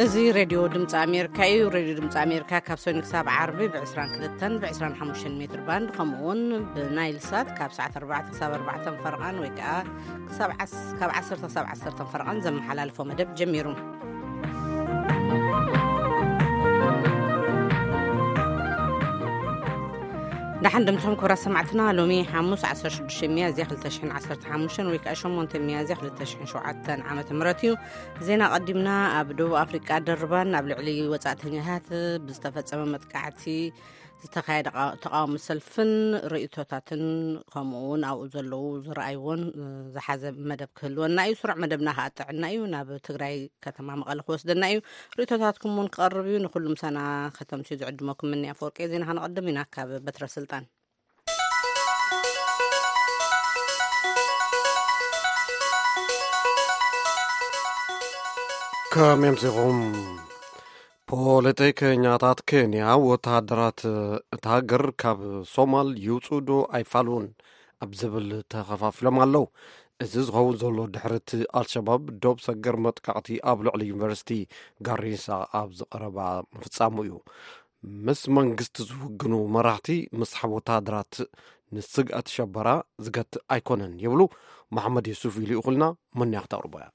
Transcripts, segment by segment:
እዚ ሬድዮ ድምፂ ኣሜሪካ እዩ። ሬድዮ ድምፂ ኣሜሪካ ካብ ሰኒ ክሳብ ዓርቢ ብ22 ብ25 ሜትር ባንድ፣ ከምኡውን ብናይል ሳት ካብ ሰዓት ኣርባዕተ ክሳብ ኣርባዕተ ፈረቓን ወይ ከዓ ክሳብ ዓስ- ካብ ዓሰርተ ክሳብ ዓሰርተ ፈረቓን ዘመሓላልፎ መደብ ጀሚሩ። ደሓን ደምስኹም ክቡራት ሰማዕትና። ሎሚ ሓሙስ ዓሰርተ ሽዱሽተ ሚያዝያ ክልተ ሽሕን ዓሰርተ ሓሙሽተን ወይ ከዓ ሸሞንተ ሚያዝያ ክልተ ሽሕን ሸውዓተን ዓመተ ምህረት እዩ። ዜና ቀዲምና። ኣብ ደቡብ ኣፍሪቃ ደርባን ኣብ ልዕሊ ወጻእተኛታት ብዝተፈጸመ መጥቃዕቲ ዝተኻየደ ቃ- ተቃውሞ ሰልፍን ርእይቶታትን፣ ከምኡ እውን ኣብኡ ዘለዉ ዝረኣይዎን ዝሓዘ መደብ ክህልወና እዩ። ስሩዕ መደብና ከዓ ጥዕና እዩ። ናብ ትግራይ ከተማ መቐለ ክወስደና እዩ። ርእይቶታትኩም እውን ክቐርብ እዩ። ንኩሉ ምሳና ከተምስዩ ዝዕድመኩም ምንያ ኣፈወርቂ። ዜና ከነቐድም ኢና ካብ በትረ ስልጣን። ከመይ ኣምሲኹም? ፖለቲከኛታት ኬንያ ወተሃደራት እታ ሃገር ካብ ሶማል ይውፅኡ ዶ ኣይፋልውን ኣብ ዝብል ተኸፋፊሎም ኣለዉ። እዚ ዝኸውን ዘሎ ድሕሪ እቲ ኣልሸባብ ዶብ ሰገር መጥቃዕቲ ኣብ ልዕሊ ዩኒቨርሲቲ ጋሪሳ ኣብ ዝቐረባ ምፍጻሙ እዩ። ምስ መንግስቲ ዝውግኑ መራሕቲ ምስሓብ ወተሃደራት ንስግኣት ሸበራ ዝገትእ ኣይኮነን ይብሉ። መሓመድ የሱፍ ይልእኹልና። መን እያ ክተቕርቦ እያ?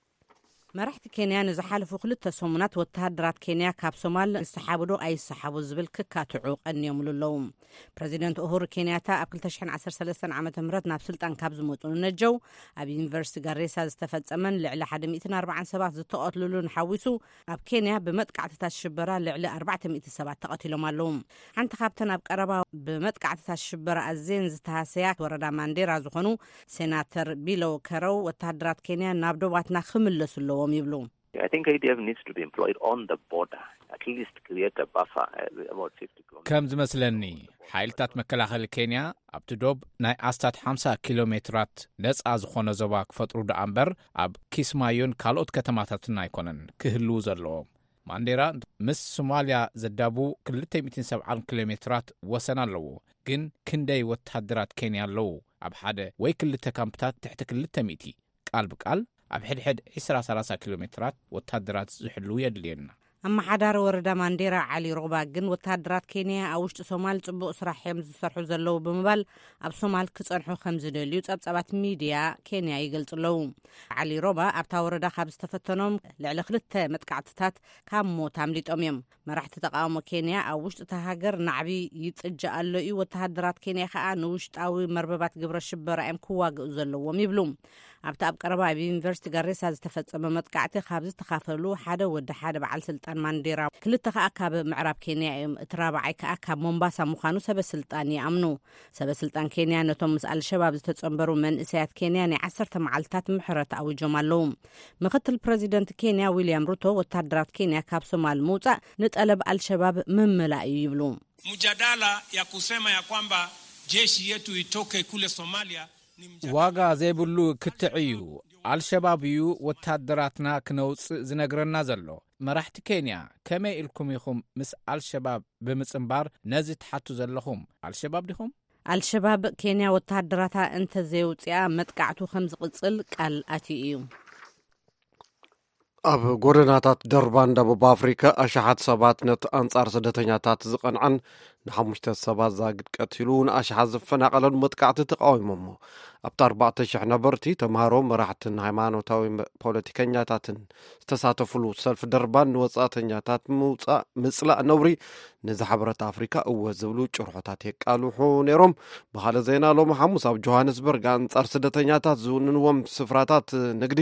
መራሕቲ ኬንያ ንዝሓለፉ ክልተ ሰሙናት ወተሃደራት ኬንያ ካብ ሶማል ይሰሓቡ ዶ ኣይሰሓቡ ዝብል ክካትዑ ቀንዮምሉ ኣለዉ። ፕረዚደንት ኡሁሩ ኬንያታ ኣብ ክልተ ሽሕን ዓሰርተ ሰለስተን ዓመተ ምህረት ናብ ስልጣን ካብ ዝመጹ ንነጀው፣ ኣብ ዩኒቨርሲቲ ጋሬሳ ዝተፈጸመን ልዕሊ ሓደ ሚእትን ኣርባዓን ሰባት ዝተቐትልሉን ሓዊሱ፣ ኣብ ኬንያ ብመጥቃዕትታት ሽበራ ልዕሊ ኣርባዕተ ሚእቲ ሰባት ተቐቲሎም ኣለዉ። ሓንቲ ካብተን ኣብ ቀረባ ብመጥቃዕትታት ሽበራ ኣዘየን ዝተሃሰያ ወረዳ ማንዴራ ዝኾኑ ሴናተር ቢሎ ከረው፣ ወተሃደራት ኬንያ ናብ ዶባትና ክምለሱ ኣለዎም ይብሉ። I think A D F needs to be employed on the border, at least create a buffer, uh, about fifty kilometers. ከም ዝመስለኒ፣ ሓይልታት መከላኸሊ ኬንያ ኣብቲ ዶብ ናይ ኣስታት ሓምሳ ኪሎ ሜትራት ነጻ ዝኾነ ዞባ ክፈጥሩ ደኣ እምበር፣ ኣብ ኪስማዮን ካልኦት ከተማታትን ኣይኮነን ክህልዉ ዘለዎም። ማንዴራ ምስ ሶማልያ ዘዳቡ ክልተ ሚእትን ሰብዓን ኪሎ ሜትራት ወሰን ኣለዎ። ግን ክንደይ ወተሃደራት ኬንያ ኣለዉ? ኣብ ሓደ ወይ ክልተ ካምፕታት ትሕቲ ክልተ ሚእቲ፣ ቃል ብቃል ኣብ ሕድሕድ ዕስራ ሰላሳ ኪሎ ሜትራት ወተሃደራት ዝሕልዉ የድልየና። ኣመሓዳሪ ወረዳ ማንዴራ ዓሊ ሮባ ግን፣ ወተሃደራት ኬንያ ኣብ ውሽጢ ሶማል ጽቡቕ ስራሕ እዮም ዝሰርሑ ዘለዉ ብምባል፣ ኣብ ሶማል ክጸንሑ ከም ዝደልዩ ጸብጻባት ሚድያ ኬንያ ይገልጹ ኣለዉ። ዓሊ ሮባ ኣብታ ወረዳ ካብ ዝተፈተኖም ልዕሊ ክልተ መጥቃዕትታት ካብ ሞት ኣምሊጦም እዮም። መራሕቲ ተቃውሞ ኬንያ፣ ኣብ ውሽጢ እታ ሃገር ናዕቢ ይጥጃ ኣሎ እዩ፣ ወተሃደራት ኬንያ ከኣ ንውሽጣዊ መርበባት ግብረ ሽበራ እዮም ክዋግኡ ዘለዎም ይብሉ። ኣብቲ ኣብ ቀረባ ኣብ ዩኒቨርሲቲ ጋሬሳ ዝተፈጸመ መጥቃዕቲ ካብ ዝተኻፈሉ ሓደ ወዲ ሓደ በዓል ስልጣን ማንዴራ፣ ክልተ ከኣ ካብ ምዕራብ ኬንያ እዮም፣ እቲ ራብዓይ ከኣ ካብ ሞምባሳ ምዃኑ ሰበ ስልጣን ይኣምኑ። ሰበ ስልጣን ኬንያ ነቶም ምስ ኣልሸባብ ዝተጸንበሩ መንእሰያት ኬንያ ናይ ዓሰርተ መዓልታት ምሕረት ኣዊጆም ኣለዉ። ምኽትል ፕረዚደንት ኬንያ ዊልያም ሩቶ፣ ወታደራት ኬንያ ካብ ሶማል ምውጻእ ንጠለብ ኣልሸባብ ምምላእ እዩ ይብሉ። Mjadala ya kusema ya kwamba jeshi yetu itoke kule Somalia ni mjadala ዋጋ ዘይብሉ ክትዕ እዩ። ኣልሸባብ እዩ ወታደራትና ክነውጽእ ዝነግረና ዘሎ። መራሕቲ ኬንያ፣ ከመይ ኢልኩም ኢኹም ምስ ኣልሸባብ ብምጽንባር ነዚ ትሓቱ ዘለኹም? ኣልሸባብ ዲኹም? ኣልሸባብ ኬንያ ወተሃደራታ እንተዘየውፅኣ መጥቃዕቱ ከም ዝቕፅል ቃል ኣትዩ እዩ። ኣብ ጎደናታት ደርባን ደቡብ ኣፍሪካ ኣሽሓት ሰባት ነቲ ኣንጻር ስደተኛታት ዝቐንዐን ንሓሙሽተ ሰባት ዛግድ ቀቲሉ ንኣሽሓት ዝፈናቐለን መጥቃዕቲ ተቃዊሞሞ። ኣብቲ ኣርባዕተ ሽሕ ነበርቲ፣ ተምሃሮ፣ መራሕትን ሃይማኖታዊ መ- ፖለቲከኛታትን ዝተሳተፉሉ ሰልፊ ደርባን ንወጻእተኛታት ምውጻእ ምጽላእ ነውሪ ነዚ ሓበረት ኣፍሪካ እወ ዝብሉ ጭርሖታት የቃልሑ ነይሮም። ብኻልእ ዜና፣ ሎሚ ሓሙስ ኣብ ጆሃንስበርግ ኣንጻር ስደተኛታት ዝውንንዎም ስፍራታት ንግዲ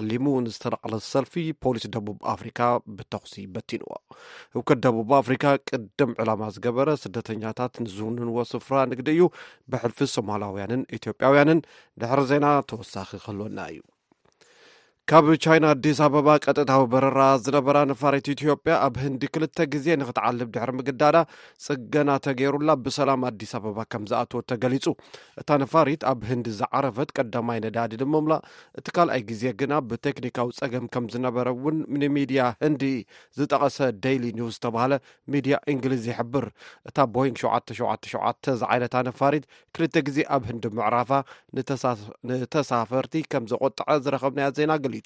ዓሊሙ ንዝተነቕለ ሰልፊ ፖሊስ ደቡብ ኣፍሪካ ብተኹሲ በቲንዎ። ህውከት ደቡብ ኣፍሪካ ቅድም ዕላማ ዝገበረ ስደተኛታት ንዝውንንዎ ስፍራ ንግዲ እዩ። ብሕልፊ ሶማላውያንን ኢትዮጵያውያንን ድሕሪ ዜና ተወሳኺ ክህልወና እዩ። ካብ ቻይና ኣዲስ ኣበባ ቀጥታዊ በረራ ዝነበራ ነፋሪት ኢትዮጵያ፣ ኣብ ህንዲ ክልተ ግዜ ንክትዓልብ ድሕሪ ምግዳዳ፣ ጽገና ተገይሩላ ብሰላም ኣዲስ ኣበባ ከም ዝኣተወት ተገሊጹ። እታ ነፋሪት ኣብ ህንዲ ዝዓረፈት ቀዳማይ ነዳዲ ንምምላእ፣ እቲ ካልኣይ ግዜ ግና ብቴክኒካዊ ጸገም ከም ዝነበረ እውን ንሚድያ ህንዲ ዝጠቐሰ ዴይሊ ኒውስ ዝተባህለ ሚድያ እንግሊዝ ይሕብር። እታ ቦይንግ ሸውዓተ ሸውዓተ ሸውዓተ ዝዓይነታ ነፋሪት ክልተ ግዜ ኣብ ህንዲ ምዕራፋ ንተሳ-፣ ንተሳፈርቲ ከም ዘቆጠዐ ዝረኸብናዮ ዜና ገሊጹ።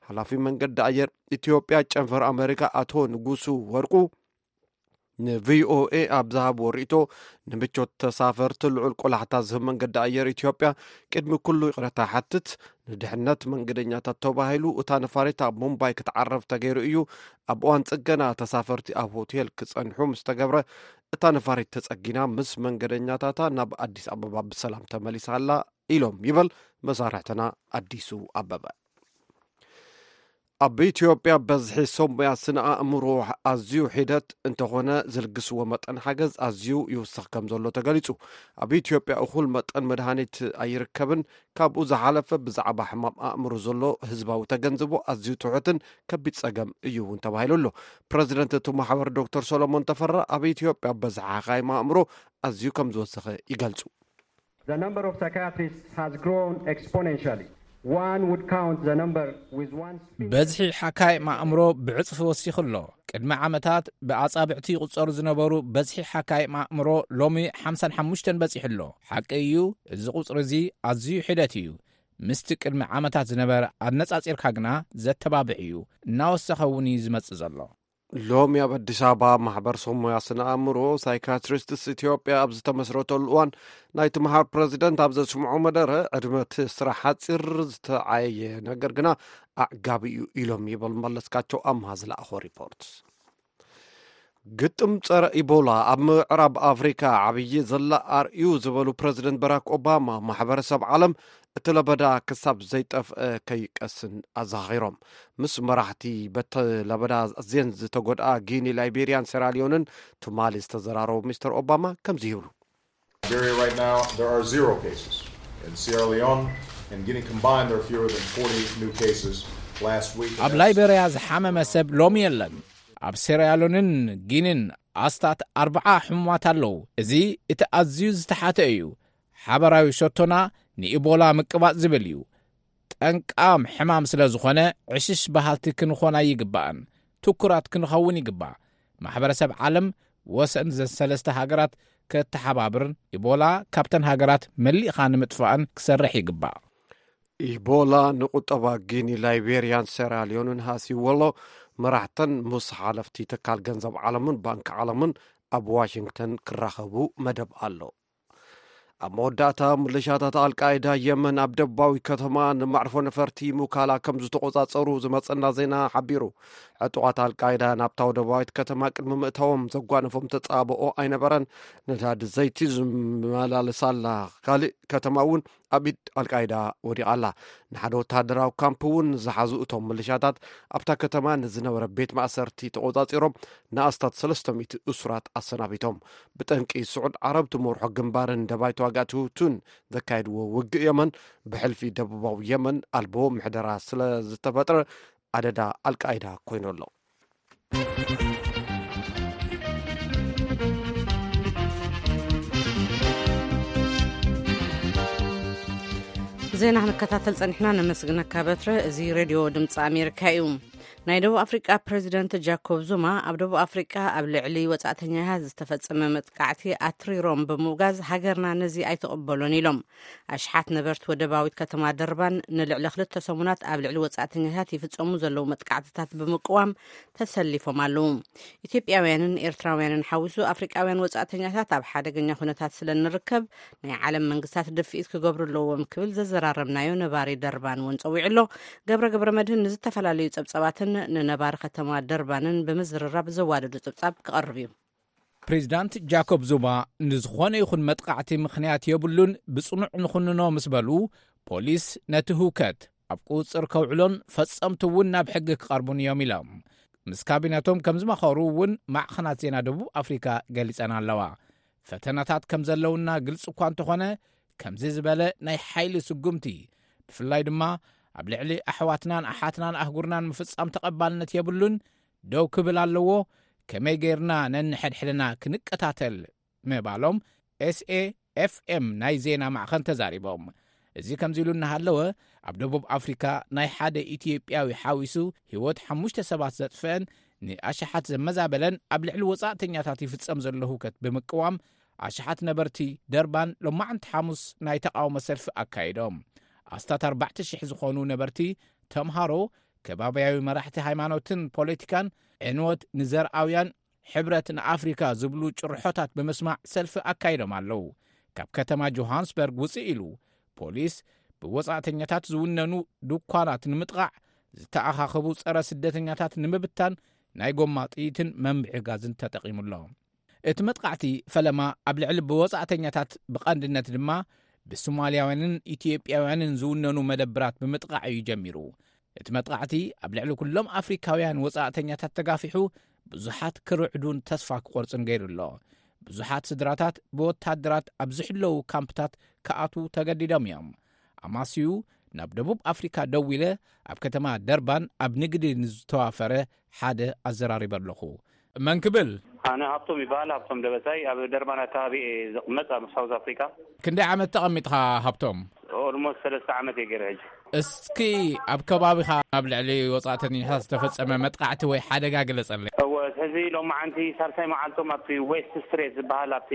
ሓላፊ መንገዲ ኣየር ኢትዮጵያ ጨንፈር ኣመሪካ ኣቶ ንጉሱ ወርቁ ንቪኦኤ ኣብ ዝሃብዎ ርእይቶ፣ ንምቾት ተሳፈርቲ ልዑል ቆላሕታ ዝህብ መንገዲ ኣየር ኢትዮጵያ ቅድሚ ኩሉ ይቕረታ ይሓትት። ንድሕነት መንገደኛታት ተባሂሉ እታ ነፋሪት ኣብ ሙምባይ ክትዓረፍ ተገይሩ እዩ። ኣብ እዋን ጽገና ተሳፈርቲ ኣብ ሆቴል ክጸንሑ ምስ ተገብረ፣ እታ ነፋሪት ተጸጊና ምስ መንገደኛታታ ናብ ኣዲስ ኣበባ ብሰላም ተመሊሳ ኣላ ኢሎም ይበል መሳርሕትና ኣዲሱ ኣበበ። ኣብ ኢትዮጵያ በዝሒ ሰብ ሞያ ስነ ኣእምሮ ኣዝዩ ሒደት እንተኾነ፣ ዝልግስዎ መጠን ሓገዝ ኣዝዩ ይውስኽ ከም ዘሎ ተገሊጹ። ኣብ ኢትዮጵያ እኹል መጠን መድሃኒት ኣይርከብን። ካብኡ ዝሓለፈ ብዛዕባ ሕማም ኣእምሮ ዘሎ ህዝባዊ ተገንዝቦ ኣዝዩ ትሑትን ከቢድ ጸገም እዩ እውን ተባሂሉ ኣሎ። ፕረዚደንት እቲ ማሕበር ዶክተር ሰሎሞን ተፈራ፣ ኣብ ኢትዮጵያ በዝሒ ሓካይም ኣእምሮ ኣዝዩ ከም ዝወሰኸ ይገልጹ። The number of psychiatrists has grown exponentially. One would count the number with one spin. በዝሒ ሓካይ ማእምሮ ብዕጽፊ ወሲኹ ኣሎ። ቅድሚ ዓመታት ብኣጻብዕቲ ይቑጸሩ ዝነበሩ በዝሒ ሓካይ ማእምሮ ሎሚ ሓምሳን ሓሙሽተን በጺሑ ኣሎ። ሓቂ እዩ፣ እዚ ቁጽሪ እዚ ኣዝዩ ሒደት እዩ። ምስቲ ቅድሚ ዓመታት ዝነበረ ኣነጻጺርካ ግና ዘተባብዕ እዩ። እናወሰኸ እውን እዩ ዝመጽእ ዘሎ። ሎሚ ኣብ ኣዲስ ኣበባ ማሕበር ሰብ ሞያ ስነ ኣእምሮ ሳይካትሪስትስ ኢትዮጵያ ኣብ ዝተመስረተሉ እዋን፣ ናይቲ ማሕበር ፕረዚደንት ኣብ ዘስምዖ መደረ፣ ዕድመ እቲ ስራሕ ሓጺር፣ ዝተዓየየ ነገር ግና ኣዕጋቢ እዩ ኢሎም ይብል መለስካቸው ኣምሃ ዝለኣኾ ሪፖርት። ግጥም ጸረ ኢቦላ ኣብ ምዕራብ ኣፍሪካ ዓብዪ ዘላ ኣርእዩ ዝበሉ ፕረዚደንት በራክ ኦባማ፣ ማሕበረሰብ ዓለም እቲ ለበዳ ክሳብ ዘይጠፍአ ከይቀስን ኣዘኻኺሮም። ምስ መራሕቲ በቲ ለበዳ ኣዝየን ዝተጎድኣ ጊኒ፣ ላይቤሪያን ሴራሊዮንን ትማሊ ዝተዘራረቡ ሚስተር ኦባማ ከምዚ ይብሉ። Liberia right now, there are zero cases. In Sierra Leone and Guinea combined, there are fewer than forty new cases last week. ኣብ ላይቤሪያ ዝሓመመ ሰብ ሎሚ የለን። ኣብ ሴራሊዮንን ጊኒን ኣስታት ኣርብዓ ሕሙማት ኣለዉ። እዚ እቲ ኣዝዩ ዝተሓተ እዩ። ሓበራዊ ሸቶና ንኢቦላ ምቅባጽ ዝብል እዩ። ጠንቃም ሕማም ስለ ዝኾነ፣ ዕሽሽ በሃልቲ ክንኾን ኣይግባእን። ትኩራት ክንኸውን ይግባእ። ማሕበረሰብ ዓለም ወሰን ዘን ሰለስተ ሃገራት ከተሓባብርን ኢቦላ ካብተን ሃገራት መሊእኻ ንምጥፋእን ክሰርሕ ይግባእ። ኢቦላ ንቁጠባ ጊኒ፣ ላይቤሪያን ሴራሊዮንን ሃስይዎ ኣሎ። መራሕተን ምስ ሓለፍቲ ትካል ገንዘብ ዓለምን ባንክ ዓለምን ኣብ ዋሽንግተን ክራኸቡ መደብ ኣሎ። ኣብ መወዳእታ፣ ምልሻታት ኣልቃይዳ የመን ኣብ ደቡባዊ ከተማ ንማዕርፎ ነፈርቲ ሙካላ ከም ዝተቖጻጸሩ ዝመጸና ዜና ሓቢሩ። ዕጡቓት ኣልቃይዳ ናብታ ደቡባዊት ከተማ ቅድሚ ምእታዎም ዘጓነፎም ተጻብኦ ኣይነበረን። ነዳዲ ዘይቲ ዝመላለሳላ ካልእ ከተማ እውን ኣብ ኢድ ኣልቃይዳ ወዲቓ ኣላ። ንሓደ ወተሃደራዊ ካምፕ እውን ዝሓዙ እቶም ምልሻታት፣ ኣብታ ከተማ ንዝነበረ ቤት ማእሰርቲ ተቖጻጺሮም ንኣስታት ሰለስተ ሚእቲ እሱራት ኣሰናቢቶም። ብጠንቂ ስዑድ ዓረብ ትመርሖ ግንባርን ደባይ ተዋጋእቲ ሁቱን ዘካየድዎ ውግእ የመን፣ ብሕልፊ ደቡባዊ የመን ኣልቦ ምሕደራ ስለ ዝተፈጥረ፣ ኣደዳ ኣልቃይዳ ኮይኑ ኣሎ። ዜና ክንከታተል ጸኒሕና፣ ነመስግነካ በትረ። እዚ ሬድዮ ድምፂ ኣሜሪካ እዩ። ናይ ደቡብ ኣፍሪቃ ፕሬዚደንት ጃኮብ ዙማ ኣብ ደቡብ ኣፍሪቃ ኣብ ልዕሊ ወጻእተኛታት ዝተፈጸመ መጥቃዕቲ ኣትሪሮም ብምውጋዝ፣ ሃገርና ነዚ ኣይትቕበሎን ኢሎም። ኣሽሓት ነበርቲ ወደባዊት ከተማ ደርባን ንልዕሊ ክልተ ሰሙናት ኣብ ልዕሊ ወጻእተኛታት ይፍጸሙ ዘለዉ መጥቃዕትታት ብምቅዋም ተሰሊፎም ኣለዉ። ኢትዮጵያውያንን ኤርትራውያንን ሓዊሱ ኣፍሪቃውያን ወጻእተኛታት ኣብ ሓደገኛ ኩነታት ስለ እንርከብ፣ ናይ ዓለም መንግስታት ድፍኢት ክገብሩ ኣለዎም ክብል ዘዘራረብናዮ ነባሪ ደርባን እውን ጸዊዑ ኣሎ። ገብረ ገብረ መድህን ንዝተፈላለዩ ጸብጻባትን ንነባሪ ከተማ ደርባንን ብምዝርራብ ዘዋደዶ ጸብጻብ ክቐርብ እዩ። ፕሬዚዳንት ጃኮብ ዙማ ንዝኾነ ይኹን መጥቃዕቲ ምኽንያት የብሉን፣ ብጽኑዕ ንኹንኖ ምስ በሉ፣ ፖሊስ ነቲ ህውከት ኣብ ቁጽጽር ከውዕሎን ፈጸምቲ እውን ናብ ሕጊ ክቐርቡን እዮም ኢሎም። ምስ ካቢነቶም ከም ዝመኸሩ እውን ማዕኸናት ዜና ደቡብ ኣፍሪካ ገሊጸን ኣለዋ። ፈተናታት ከም ዘለውና ግልጺ እኳ እንተኾነ፣ ከምዚ ዝበለ ናይ ሓይሊ ስጉምቲ፣ ብፍላይ ድማ ኣብ ልዕሊ ኣሕዋትናን ኣሓትናን ኣህጉርናን ምፍጻም ተቐባልነት የብሉን፣ ደው ክብል ኣለዎ፣ ከመይ ጌርና ነንሕድሕድና ክንቀታተል ምባሎም ኤስኤ ኤፍኤም ናይ ዜና ማዕኸን ተዛሪቦም። እዚ ከምዚ ኢሉ እናሃለወ፣ ኣብ ደቡብ ኣፍሪካ ናይ ሓደ ኢትዮጵያዊ ሓዊሱ ህይወት ሓሙሽተ ሰባት ዘጥፍአን ንኣሽሓት ዘመዛበለን ኣብ ልዕሊ ወጻእተኛታት ይፍጸም ዘሎ ህውከት ብምቅዋም፣ ኣሽሓት ነበርቲ ደርባን ሎማዕንቲ ሓሙስ ናይ ተቃውሞ ሰልፊ ኣካይዶም። ኣስታት ኣርባዕተ ሽሕ ዝኾኑ ነበርቲ፣ ተምሃሮ፣ ከባብያዊ መራሕቲ ሃይማኖትን ፖለቲካን፣ ዕንወት ንዘርኣውያን፣ ሕብረት ንኣፍሪካ ዝብሉ ጭርሖታት ብምስማዕ ሰልፊ ኣካይዶም ኣለዉ። ካብ ከተማ ጆሃንስበርግ ውፅእ ኢሉ፣ ፖሊስ ብወፃእተኛታት ዝውነኑ ድኳናት ንምጥቓዕ፣ ዝተኣኻኸቡ ፀረ ስደተኛታት ንምብታን ናይ ጎማ ጥይትን መንብዒ ጋዝን ተጠቒሙ ኣሎ። እቲ መጥቃዕቲ ፈለማ ኣብ ልዕሊ ብወጻእተኛታት፣ ብቐንድነት ድማ ብሶማልያውያንን ኢትዮጵያውያንን ዝውነኑ መደብራት ብምጥቃዕ እዩ ጀሚሩ። እቲ መጥቃዕቲ ኣብ ልዕሊ ኩሎም ኣፍሪካውያን ወጻእተኛታት ተጋፊሑ፣ ብዙሓት ክርዕዱን ተስፋ ክቖርጹን ገይሩ ኣሎ። ብዙሓት ስድራታት ብወታደራት ኣብ ዝሕለዉ ካምፕታት ክኣትዉ ተገዲዶም እዮም። ኣማስዩ ናብ ደቡብ ኣፍሪካ ደዊለ፣ ኣብ ከተማ ደርባን ኣብ ንግዲ ንዝተዋፈረ ሓደ ኣዘራሪበ ኣለኹ። መን ክብል? ኣነ ሃብቶም ይበሃል፣ ሃብቶም ደበሳይ። ኣብ ደርባን ኣካባቢ እየ ዝቕመጥ፣ ኣብ ሳውዝ ኣፍሪካ። ክንደይ ዓመት ተቐሚጥኻ ሃብቶም? ኦልሞስት ሰለስተ ዓመት እየ ገይረ ሕጂ። እስኪ ኣብ ከባቢኻ ኣብ ልዕሊ ወጻእተኛታት ዝተፈጸመ መጥቃዕቲ ወይ ሓደጋ ግለጸለይ። እወ፣ ሕዚ ሎማዓንቲ ሳልሳይ መዓልቶም ኣብቲ ዌስት ስትሬት ዝበሃል ኣብቲ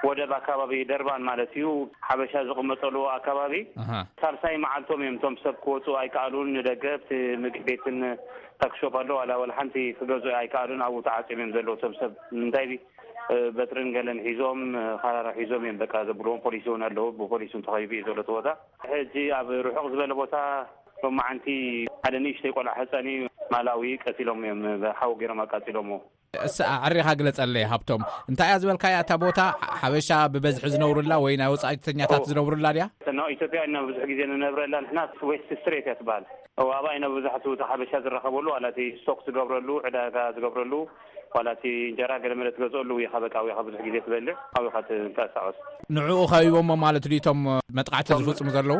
ወደብ ኣካባቢ ደርባን ማለት እዩ፣ ሓበሻ ዝቕመጠሉ ኣካባቢ ኣሃ። ሳልሳይ መዓልቶም እዮም። እቶም ሰብ ክወፁ ኣይከኣሉን። ንደገ ኣብቲ ምግቢ ቤትን ታክሾፕ ኣሎ፣ ዋላ ዋላ ሓንቲ ክገዝኡ ኣይከኣሉን። ኣብኡ ተዓፅዮም እዮም ዘለዉ። እቶም ሰብ እንታይ እ፣ በትርን ገለን ሒዞም፣ እ፣ ካራራ ሒዞም እዮም በቃ ዘብልዎም። ፖሊስ እውን ኣለዉ፣ ብፖሊስ እውን ተኸቢቡ እዩ ዘሎ እቲ ቦታ። ሕጂ ኣብ ርሑቕ ዝበለ ቦታ ሎማዓንቲ ሓደ ንእሽተይ ቆልዓ ህፃን እዩ፣ ማላዊ ቀቲሎም እዮም፣ ብሓዊ ገይሮም ኣቃፂሎምዎ። እስ ኣዕሪኻ ግለጸለይ ሃብቶም፣ እንታይ እያ ዝበልካያ እታ ቦታ? ሓበሻ ብበዝሒ ዝነብሩላ ወይ ናይ ወጻእተኛታት ኦ። ዝነብሩላ ድያ? ኖ፣ ኢትዮጵያ ኢና ብዙሕ ግዜ ንነብረላ ንሕና። ዌስት ስትሬት እያ ትበሃል። እዋ፣ ኣብኣ ኢና ብዙሓት እቲ ሓበሻ ዝራኸበሉ፣ ዋላ እቲ ስቶክ ዝገብረሉ፣ ዕዳጋ ዝገብረሉ፣ ዋላ እቲ እንጀራ ገለ መለ ትገዝኦሉ፣ ውይኻ በቃ፣ ውይኻ ብዙሕ ግዜ ትበልዕ፣ ኣብኻ ትንቀሳቐስ። ንዕኡ ከቢቦሞ ማለት ድዩ እቶም መጥቃዕቲ እቶም ዝፍጽሙ ዘለዉ?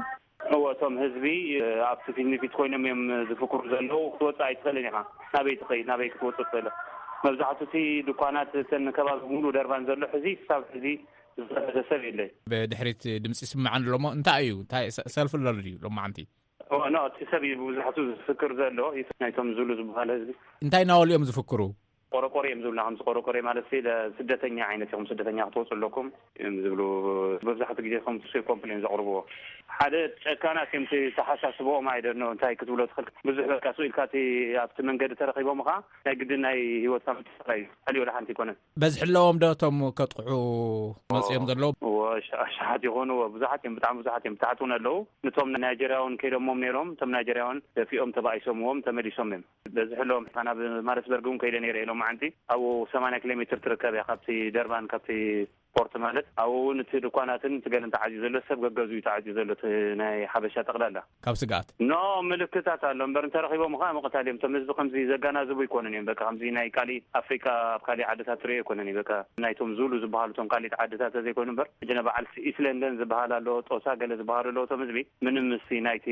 እዎ፣ እቶም ህዝቢ፣ እ፣ ኣብቲ ፊት ንፊት ኮይኖም እዮም ዝፍክሩ ዘለዉ። ክትወጽእ ኣይትኽእልን ኢኻ። ናበይ ትኸይድ? ናበይ ክትወጽእ ትኽእል? መብዛሕቱ እቲ ድኳናት፣ እተን ከባቢ ሙሉ ደርባን ዘሎ ሕዚ፣ ክሳብ ሕዚ ዝኸፈተ ሰብ የለን። ብድሕሪት ድምፂ ይስምዓን ኣሎ እሞ፣ እንታይ እዩ? እንታይ ሰ-፣ ሰልፊ ኣሎ ድዩ ሎማዓንቲ? ኦ፣ ኖ፣ እቲ ሰብ እዩ ብብዙሓቱ ዝፍክር ዘሎ፣ ናይቶም ዙሉ ዝበሃል ህዝቢ። እንታይ እናበሉ እዮም ዝፍክሩ? ቆረቆሬ እዮም ዝብሉና፣ ከምዚ ቆረቆሬ ማለት ሲ፣ ለ-፣ ስደተኛ ዓይነት ኢኹም፣ ስደተኛ ክትወፁ ኣለኩም እዮም ዝብሉ። መብዛሕትኡ ግዜ ከምቲ ሲ ኮምፕሌን ዘቕርብዎ። ሓደ ጨካናት እዮም፣ እቲ ተሓሳስብኦም ኣይደኖ፣ እንታይ ክትብሎ ትኽእል። ብዙሕ በቃ ስቕ ኢልካ እቲ ኣብቲ መንገዲ ተረኺቦም ኸዓ ናይ ግድን ናይ ህይወትካ ምጥፋእ እዩ። ካልእ ወላ ሓንቲ ኣይኮነን። በዝሒ ኣለዎም ዶ እቶም ከጥቕዑ መፂኦም ዘለዉ? እዎ፣ ኣሽ-፣ ኣሽሓት ይኾኑ፣ እዎ፣ ብዙሓት እዮም፣ ብጣዕሚ ብዙሓት እዮም። ብታሕቲ እውን ኣለዉ። ነቶም ናይጀርያውን ከይዶሞም ነይሮም፣ እቶም ናይጀርያውን ደፊኦም ተባኢሶምዎም ተመሊሶም እዮም። በዝሒ ኣለዎም። ኣነ ናብ ማሪስበርግ እውን ከይደ ነይረ ኢሎም መዓንቲ። ኣብኡ ሰማንያ ኪሎ ሜትር ትርከብ እያ ካብቲ ደርባን፣ ካብቲ ፖርት ማለት። ኣብኡ እውን እቲ ድኳናትን እቲ ገለን ተዓፅዩ ዘሎ፣ ሰብ ገገዙ እዩ ተዓፅዩ ዘሎ፣ እቲ ናይ ሓበሻ ጠቕላላ። ካብ ስግኣት? ኖ፣ ምልክታት ኣሎ እምበር፣ እንተረኺቦም ኸዓ ምቕታል እዮም። እቶም ህዝቢ ከምዚ ዘጋናዝቡ ኣይኮኑን እዮም። በቃ ከምዚ ናይ ካሊእ ኣፍሪቃ ኣብ ካሊእ ዓድታት ትሪኦ ኣይኮነን እዩ። በቃ ናይቶም ዙሉ ዝበሃሉ እቶም ካሊእ ዓድታት ተዘይኮይኑ እምበር፣ ሕጂ ናይ በዓል ኢስት ለንደን ዝበሃል ኣሎ፣ ጦሳ ገለ ዝበሃሉ ኣለዉ። እቶም ህዝቢ ምንም ምስቲ ናይቲ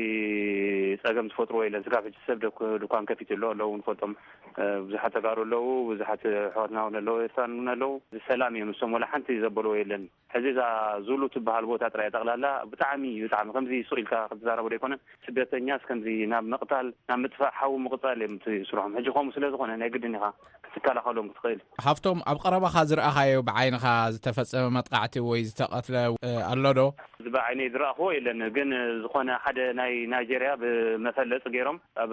ጸገም ዝፈጥርዎ የለን። ስጋብ ሕጂ ሰብ ደኩ-፣ ድኳን ከፊቱ ኣሎ፣ ኣለዉ ንፈልጦም። እ፣ ብዙሓት ተጋሩ ኣለዉ፣ ብዙሓት ኣሕዋትና እውን ኣለዉ፣ ኤርትራን እውን ኣለዉ። ሰላም እዮም፣ እሶም ወላ ሓንቲ ዘበልዎ የለን። ሕዚ እዛ ዙሉ ትበሃል ቦታ ጥራይ ጠቕላላ ብጣዕሚ እዩ፣ ብጣዕሚ ከምዚ ሱቕ ኢልካ ክትዛረቦ ዶ ኣይኮነን። ስደተኛስ ከምዚ ናብ ምቕታል፣ ናብ ምጥፋእ ሓዊ ምቕጻል እዮም እቲ ስርሖም። ሕጂ ከምኡ ስለ ዝኾነ ናይ ግድን ኢኻ ክትከላኸሎም ክትኽእል። ሃብቶም፣ ኣብ ቀረባኻ ዝረኣኻዮ ብዓይንኻ ዝተፈጸመ መጥቃዕቲ ወይ ዝተቐትለ፣ እ፣ ኣሎ ዶ? እዚ ብዓይነይ ዝረኣኽዎ የለን፣ ግን ዝኾነ ሓደ ናይ ናይጀርያ ብመፈለጢ ገይሮም ኣብ፣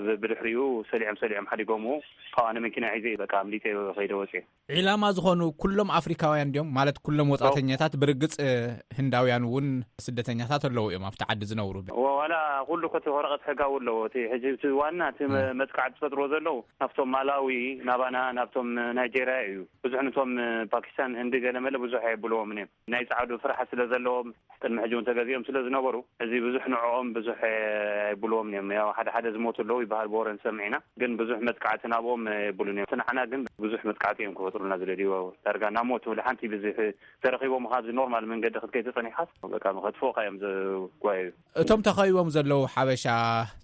ብ-፣ ብድሕሪኡ ሰሊዖም፣ ሰሊዖም ሓዲጎምዎ። ካብኣ ንመኪና ሒዘ በቃ ኣምሊጠ ከይደ ወፅየ። ዒላማ ዝኾኑ ኩሎም ኣፍሪካውያን ድዮም? ማለት ኩሎም ወጻእተኛታት? ብርግጽ፣ እ፣ ህንዳውያን እውን ስደተኛታት ኣለዉ እዮም ኣብቲ ዓዲ ዝነብሩ። ወ-፣ ዋላ ኩሉ ከቲ ወረቐት ሕጋዊ ኣለዎ። እቲ ሕጂ እቲ ዋና እቲ መ-፣ እም። መጥቃዕቲ ዝፈጥርዎ ዘለዉ ናብቶም ማላዊ፣ ናባና፣ ናብቶም ናይጄርያ እዩ። ብዙሕ ነቶም ፓኪስታን፣ ህንዲ ገለ መለ ብዙሕ ኣየብልዎምን እዮም። ናይ ጻዕዱ ፍርሓት ስለ ዘለዎም፣ ቅድሚ ሕጂ እውን ተገዚኦም ስለ ዝነበሩ፣ እዚ ብዙሕ ንዕኦም ብዙሕ ኣይብልዎም እዮም። ያው ሓደ ሓደ ዝሞቱ ኣለዉ ይበሃል፣ ብወረ ንሰምዕ ኢና፣ ግን ብዙሕ መጥቃዕቲ ናብኦም የብሉን እዮም። እቲ ንዓና ግን ብዙሕ መጥቃዕቲ እዮም ክፈጥሩልና ዝደልዩ። ዳርጋ ናብ ሞት ትብል ሓንቲ ብዙሕ ተረኺቦም፣ ካብዚ ኖርማል መንገዲ ክትከይድ ተጸኒሓስ በቃ መኸትፎኻ እዮም ዘጓየዩ። እቶም ተኸቢቦም ዘለዉ ሓበሻ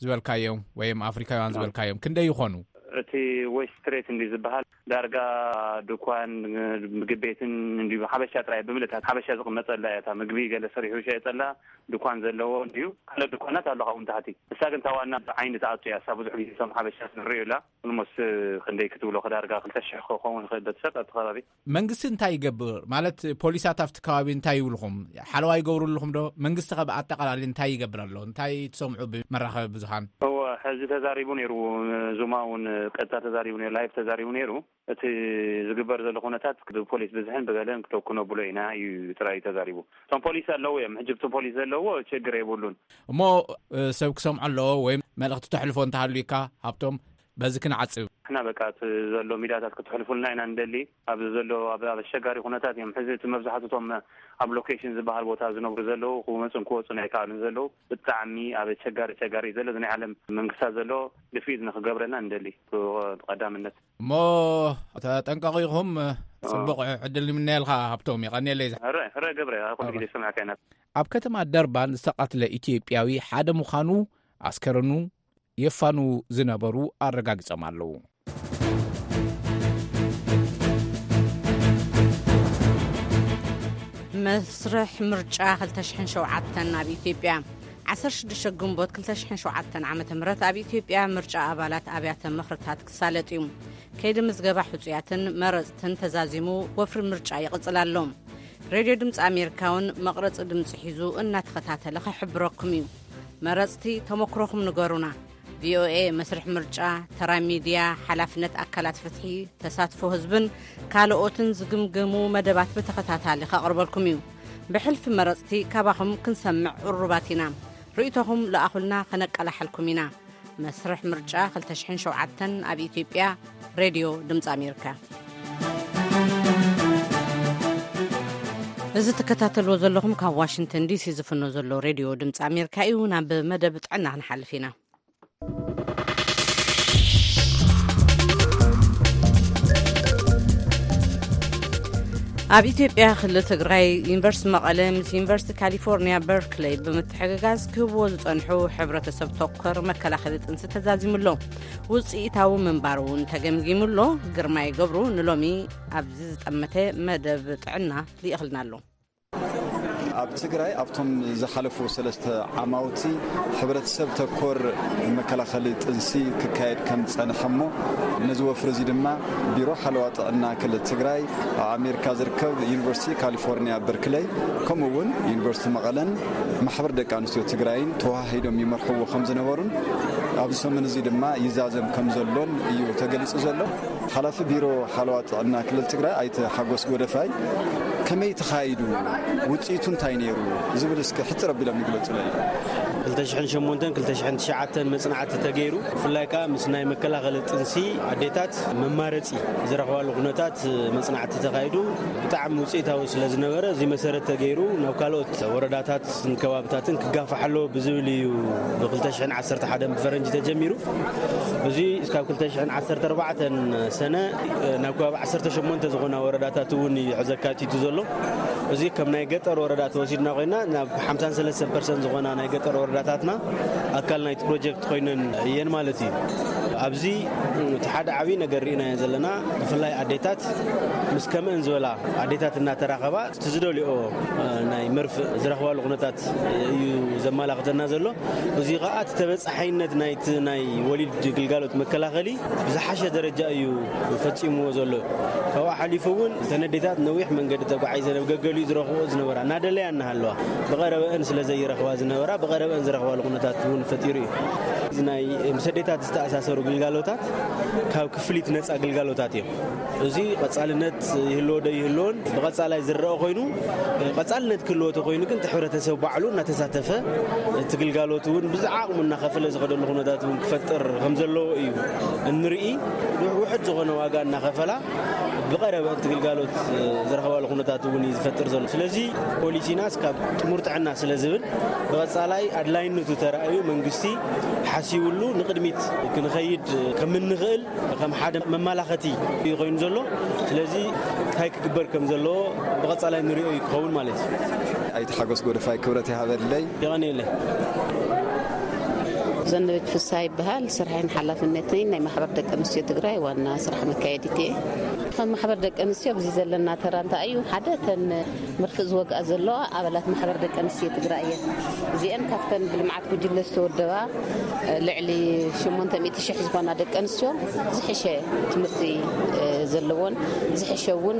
ዝበልካዮም ወይም ኣፍሪካውያን ዝበልካዮም ክንደይ ይኾኑ? እቲ ዌስት ስትሬት እንዲ ዝበሃል ዳርጋ ድኳን፣ ምግቢ ቤትን እንዲ ሓበሻ ጥራይ ብምልእታት ሓበሻ ዝቕመጠላ እያ። እታ ምግቢ ገለ ሰሪሑ ይሸየጠላ ድኳን ዘለዎ እንዲዩ። ካልኦት ድኳናት ኣሎ ካብኡ ንታሕቲ። እሳ ግን እታ ዋና ዓይኒ ትኣቱ እያ። እሳ ብዙሕ ግዜ እቶም ሓበሻ ንርእዩላ። ኦልሞስት ክንደይ ክትብሎ ክዳርጋ ክልተ ሽሕ ክኸውን ይኽእል በቲ ሰብ ኣብቲ ከባቢ። መንግስቲ እንታይ ይገብር? ማለት ፖሊሳት ኣብቲ ከባቢ እንታይ ይብልኹም? ሓለዋ ይገብሩ ኣለኹም ዶ? መንግስቲ ከ ብኣጠቓላሊ እንታይ ይገብር ኣሎ? እንታይ ትሰምዑ ብመራኸቢ ብዙሃን? እወ፣ ሕዚ ተዛሪቡ ነይሩ። ዙማ እውን ቀጥታ ተዛሪቡ ነይሩ፣ ላይቭ ተዛሪቡ ነይሩ። እቲ ዝግበር ዘሎ ኩነታት ብፖሊስ ብዝሕን ብገለን ክተኩ ነብሎ ኢና እዩ ጥራይ ተዛሪቡ። እቶም ፖሊስ ኣለዉ እዮም። ሕጂ እቶም ፖሊስ ዘለዎ ችግር የብሉን። እሞ፣ እ፣ ሰብ ክሰምዖ ኣለዎ ወይም መልእኽቲ ተሕልፎ እንተሃልዩካ፣ ሃብቶም፣ በዚ ክንዓጽብ። ንሕና በቃ እቲ ዘሎ ሚድያታት ክትሕልፉልና ኢና ንደሊ። ኣብዚ ዘሎ ኣብ፣ ኣብ ኣሸጋሪ ኩነታት እዮም። ሕዚ እቲ መብዛሕትኡ እቶም ኣብ ሎኬሽን ዝበሃል ቦታ ዝነብሩ ዘለዉ ክመጹን ክወጹን ኣይከኣሉን ዘለዉ። ብጣዕሚ ኣብ ኣሸጋሪ፣ ኣሸጋሪ እዩ ዘሎ። እዚ ናይ ዓለም መንግስታት ዘሎ ድፊት ንክገብረልና ንደሊ ብቐዳምነት። እሞ ተጠንቀቑ ኢኹም። ጽቡቕ ዕድል ንምነየልካ ሃብቶም፣ የቐንየለይ። ሕረ፣ ሕረ ገብረ፣ ኣብ ኩሉ ግዜ ዝሰምዐካ ኢና። ኣብ ከተማ ደርባን ዝተቐትለ ኢትዮጵያዊ ሓደ ምዃኑ ኣስከረኑ የፋኑ ዝነበሩ ኣረጋግጾም ኣለዉ። መስርሕ ምርጫ ክልተ ሽሕን ሸውዓተን ኣብ ኢትዮጵያ። ዓሰርተ ሽዱሽተ ግንቦት ክልተ ሽሕን ሸውዓተን ዓመተ ምህረት ኣብ ኢትዮጵያ ምርጫ ኣባላት ኣብያተ ምኽርታት ክሳለጥ እዩ። ከይዲ ምዝገባ ሕጹያትን መረጽትን ተዛዚሙ ወፍሪ ምርጫ ይቕጽል ኣሎ። ሬድዮ ድምፂ ኣሜሪካ እውን መቕረፂ ድምፂ ሒዙ እናተኸታተለ ክሕብረኩም እዩ። መረፅቲ ተመክሮኹም ንገሩና። ቪኦኤ መስርሕ ምርጫ፣ ተራ ሚድያ፣ ሓላፍነት ኣካላት ፍትሒ፣ ተሳትፎ ህዝብን ካልኦትን ዝግምግሙ መደባት ብተኸታታሊ ከቕርበልኩም እዩ። ብሕልፊ መረፅቲ ካባኹም ክንሰምዕ ቅሩባት ኢና። ርእይቶኹም ለኣኹልና፣ ከነቀላሓልኩም ኢና። መስርሕ ምርጫ ክልተ ሽሕን ሸውዓተን ኣብ ኢትዮጵያ። ሬድዮ ድምፂ ኣሜሪካ። እዚ ትከታተልዎ ዘለኹም ካብ ዋሽንግተን ዲሲ ዝፍኖ ዘሎ ሬድዮ ድምፂ ኣሜሪካ እዩ። ናብ መደብ ጥዕና ክንሓልፍ ኢና። ኣብ ኢትዮጵያ ክልል ትግራይ ዩኒቨርሲቲ መቐለ ምስ ዩኒቨርሲቲ ካሊፎርኒያ በርክለይ ብምትሕግጋዝ ክህብዎ ዝጸንሑ ሕብረተሰብ ተኮር መከላኸሊ ጥንሲ ተዛዚሙ ኣሎ። ውጽኢታዊ ምንባሩ እውን ተገምጊሙ ኣሎ። ግርማይ ገብሩ ንሎሚ ኣብዚ ዝጠመተ መደብ ጥዕና ልኢኽልና ኣሎ። ኣብ ትግራይ ኣብቶም ዝሓለፉ ሰለስተ ዓማውቲ ሕብረተሰብ ተኮር መከላኸሊ ጥንሲ ክካየድ ከም ዝጸንሐ እሞ ነዚ ወፍሪ እዚ ድማ ቢሮ ሓለዋ ጥዕና ክልል ትግራይ፣ ኣብ ኣሜሪካ ዝርከብ ዩኒቨርሲቲ ካሊፎርኒያ በርክለይ፣ ከምኡ እውን ዩኒቨርሲቲ መቐለን ማሕበር ደቂ ኣንስትዮ ትግራይን ተወሃሂዶም ይመርሕዎ ከም ዝነበሩን ኣብዚ ሰሙን እዚ ድማ ይዛዘም ከም ዘሎን እዩ ተገሊጹ ዘሎ። ሓላፊ ቢሮ ሓለዋ ጥዕና ክልል ትግራይ ኣይተ ሓጎስ ጎደፋይ ከመይ ተኻይዱ፣ ውፅኢቱ እንታይ ነይሩ ዝብል እስከ ሕፅር ኣቢሎም ይግለጹለይ። ክልተ ሽሕን ሸሞንተን ክልተ ሽሕን ትሽዓተን መጽናዕቲ ተገይሩ፣ ብፍላይ ከኣ ምስ ናይ መከላኸሊ ጥንሲ ኣዴታት መማረጺ ዝረኽባሉ ኩነታት መጽናዕቲ ተኻይዱ። ብጣዕሚ ውፅኢታዊ ስለ ዝነበረ፣ እዚ መሰረት ተገይሩ ናብ ካልኦት ወረዳታትን ከባብታትን ክጋፋሕ ኣለዎ ብዝብል እዩ ብ ክልተ ሽሕን ዓሰርተ ሓደን ብፈረንጂ ተጀሚሩ። እዚ ካብ ክልተ ሽሕን ዓሰርተ ኣርባዕተን ሰነ ናብ ከባቢ ዓሰርተ ሸሞንተ ዝኾና ወረዳታት እውን እዩ ሕዚ ኣካቲቱ ዘሎ። እዚ ከም ናይ ገጠር ወረዳ ተወሲድና ኮይና፣ ናብ ሓምሳን ሰለስተን ፐርሰንት ዝኾና ናይ ገጠር ወረዳታትና ኣካል ናይቲ ፕሮጀክት ኮይነን እየን ማለት እዩ። ኣብዚ እቲ ሓደ ዓብዪ ነገር ርኢናዮ ዘለና፣ ብፍላይ ኣዴታት ምስ ከምአን ዝበላ ኣዴታት እናተራኸባ እቲ ዝደልኦ ናይ መርፍእ ዝረኽባሉ ኩነታት እዩ ዘመላኽተና ዘሎ። እዚ ኸዓ እቲ ተበፃሓይነት ናይቲ ናይ ወሊድ ግልጋሎት መከላኸሊ ብዝሓሸ ደረጃ እዩ ፈፂምዎ ዘሎ። ካብኡ ሓሊፉ እውን እተን ኣዴታት ነዊሕ መንገዲ ተጓዒዘን ኣብ ገገሊኡ ዝረኽብኦ ዝነበራ እናደለያ እናሃለዋ ብቐረበአን ስለ ዘይረኽባ ዝነበራ ብቐረበአን ዝረኽባሉ ኩነታት እውን ፈጢሩ እዩ። እዚ ናይ ምስ ኣዴታት ዝተኣሳሰሩ ግልጋሎታት ካብ ክፍሊት ነፃ ግልጋሎታት እዮም። እዚ ቀፃልነት ይህልዎ ዶ ይህልዎን ብቐፃላይ ዝረአ ኮይኑ፣ ቀፃልነት ክህልዎ ተኮይኑ ግን እቲ ሕብረተሰብ ባዕሉ እናተሳተፈ፣ እቲ ግልጋሎት እውን ብዝዓቕሙ እናኸፈለ ዝኸደሉ ኩነታት እውን ክፈጥር ከም ዘለዎ እዩ እንርኢ። ውሕድ ዝኾነ ዋጋ እናኸፈላ ብቐረበ እቲ ግልጋሎት ዝረኸባሉ ኩነታት እውን እዩ ዝፈጥር ዘሎ። ስለዚ ፖሊሲና እስካብ ጥሙር ጥዕና ስለ ዝብል፣ ብቐፃላይ ኣድላይነቱ ተራእዩ መንግስቲ ሓሲብሉ ንቕድሚት ክንኸይድ ከም እንኽእል ከም ሓደ መመላኸቲ እዩ ኮይኑ ዘሎ። ስለዚ እንታይ ክግበር ከም ዘለዎ ብቐፃላይ ንሪኦ እዩ ክኸውን ማለት እዩ። ኣይተ ሓጎስ ጎደፋይ፣ ክብረት ይሃበለይ። የቐንየለይ። ዘነበች ፍስሃ ይበሃል። ስራሕን ሓላፍነትን ናይ ማሕበር ደቂ ኣንስትዮ ትግራይ ዋና ስራሕ መካየዲት እየ። ከም ማሕበር ደቂ ኣንስትዮ ኣብዚ ዘለና ተራ እንታይ እዩ? ሓደ፣ ተን መርፍእ ዝወግኣ ዘለዋ ኣባላት ማሕበር ደቂ ኣንስትዮ ትግራይ እየን። እዚአን ካብተን ብልምዓት ጉጅለ ዝተወደባ ልዕሊ ሸሞንተ ሚእቲ ሽሕ ዝኾና ደቂ ኣንስትዮ ዝሕሸ ትምህርቲ ዘለዎን ዝሕሸ እውን